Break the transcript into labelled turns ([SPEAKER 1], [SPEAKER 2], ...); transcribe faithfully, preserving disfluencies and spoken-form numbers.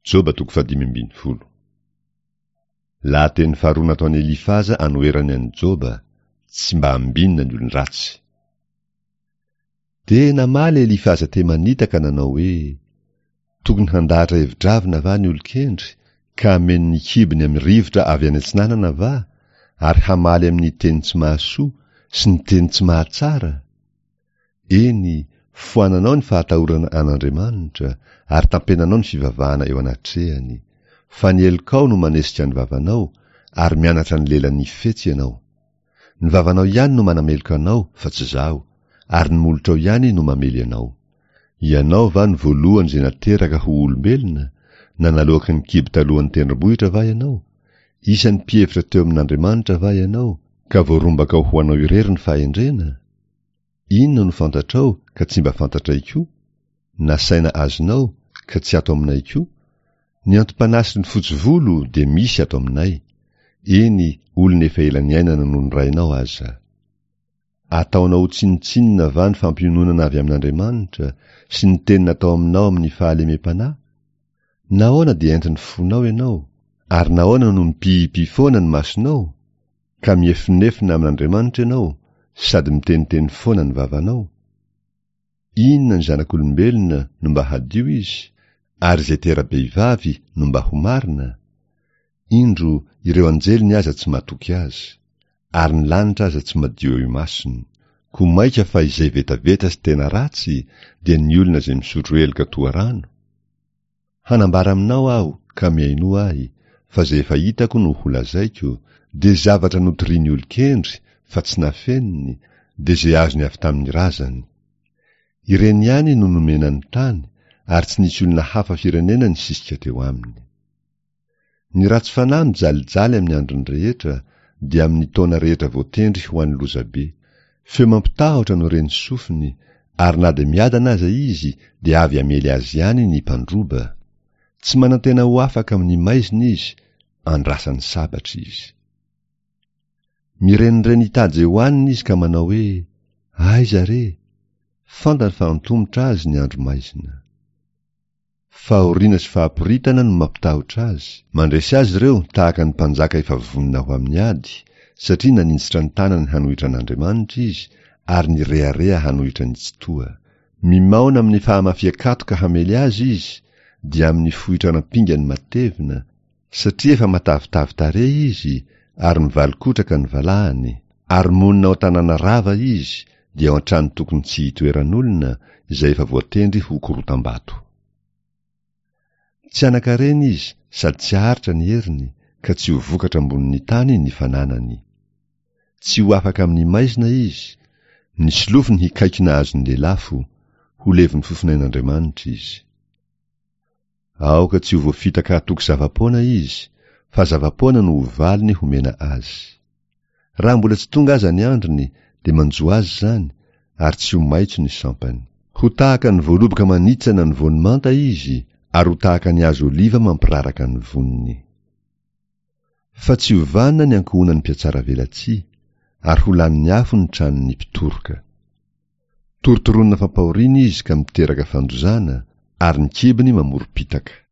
[SPEAKER 1] Joba toko fahadimy ambin'ny folo. Lahateny faharoa nataon'i Elifaza anoherany an'i Joba, tsy mba ambinina ny olon-dratsy. Dia namaly Elifaza Temanita ka nanao hoe: Tokony handahatra hevi-dravina va ny olon-kendry, ka hameno ny kibony amin'ny rivotra avy any atsinanana va, ary hamaly amin'ny teny tsy mahasoa sy ny teny tsy mahatsara? Eny, foananao ny fahatahorana an'Andriamanitra, ary tampenanao ny fivavahana eo anatrehany. Fa ny helokao no manesika ny vavanao, ary mianatra ny lelan'ny fetsy ianao. Ny vavanao ihany no manameloka anao, fa tsy izaho, ary ny molotrao ihany no mamely anao. Ianao va no voalohany izay nateraka ho olombelona? Na naloaky ny kibo talohan'ny tendrombohitra va ianao? Isan'ny mpihevitra teo amin'Andriamanitra va ianao, ka voarombakao ho anao irery ny fahendrena? Inona no fantatrao ka tsy mba fantatray koa? Na saina azonao ka tsy ato aminay koa? Ny antom-panahy sy ny fotsy volo dia misy ato aminay, eny, olona efa ela niainana noho ny rainao aza. Ataonao ho tsinontsinona va ny fampiononana avy amin'Andriamanitra sy ny teny natao aminao amin'ny fahalemem-panahy? Nahoana dia entin'ny fonao ianao, ary nahoana no mipihipy foana ny masonao? Ka miefonefona amin'Andriamanitra ianao, sady miteniteny foana ny vavanao? Inona ny zanak'olombelona no mba hadio izy, ary izay tera-behivavy no mba ho marina? Indro, ireo anjeliny aza tsy matoky azy, ary ny lanitra aza tsy madio eo imasony. Koa mainka fa izay vetaveta sy tena ratsy dia ny olona izay misotro heloka toa rano? Hanambara aminao aho ka mihainoa ahy, fa izay efa hitako no holazaiko, dia zavatra notorian'ny olon-kendry fa tsy nafeniny, dia izay azony avy tamin'ny razany. Ireny ihany no nomena ny tany, ary tsy nisy olona hafa firenena nisisika teo aminy. Ny ratsy fanahy mijalijaly amin'ny androny rehetra, dia amin'ny taona rehetra voatendry ho an'ny lozabe. Feo mampitahotra no ren'ny sofiny, ary na dia miadana aza izy dia avy hamely azy ihany ny mpandroba. Tsy manantena ho afaka amin'ny maizina izy, andrasan'ny sabatra izy. Mirenireny hitady izay hohaniny izy ka manao hoe: Aiza re? Fantany fa antomotra azy ny andro maizina. Fahoriana sy fahaporitana no mampitahotra azy, mandresy azy ireo tahaka ny mpanjaka efa vonona ho amin'ny ady, satria naninjitra ny tanany hanohitra an'Andriamanitra izy ary nirehareha hanohitra ny Tsitoha. Mimaona amin'ny fahamafian-katoka hamely azy izy, dia amin'ny fohitran'ampingany matevina, satria efa matavitavy tarehy izy ary mivalikotraka ny valahany, ary monina ao an-tanàna rava izy, dia ao an-trano tokony tsy hitoeran'olona, izay efa voatendry ho korotam-bato. Tsy hanan-karena izy sady tsy haharitra ny heriny, ka tsy ho vokatra ambonin'ny tany ny fananany. Tsy ho afaka amin'ny maizina izy, ny solofony hikaikina azon'ny lelafo, ho levon'ny fofonain'Andriamanitra izy. Aoka tsy ho voafitaka hatoky zava-poana izy, fa zava-poana no ho valiny homena azy. Raha mbola tsy tonga aza ny androny, dia manjo azy izany, ary tsy ho maitso ny sampany. Ho tahaka ny voaloboka manitsana ny voany manta izy, ary ho tahaka ny hazo oliva mampiraraka ny voniny. Fa tsy ho vanona ny ankohonan'ny mpihatsaravelatsihy, ary ho lanin'ny afo ny tranon'ny mpitoroka. Torotoronina fampahoriana izy ka miteraka fandozana, ary ny kibony mamorom-pitaka.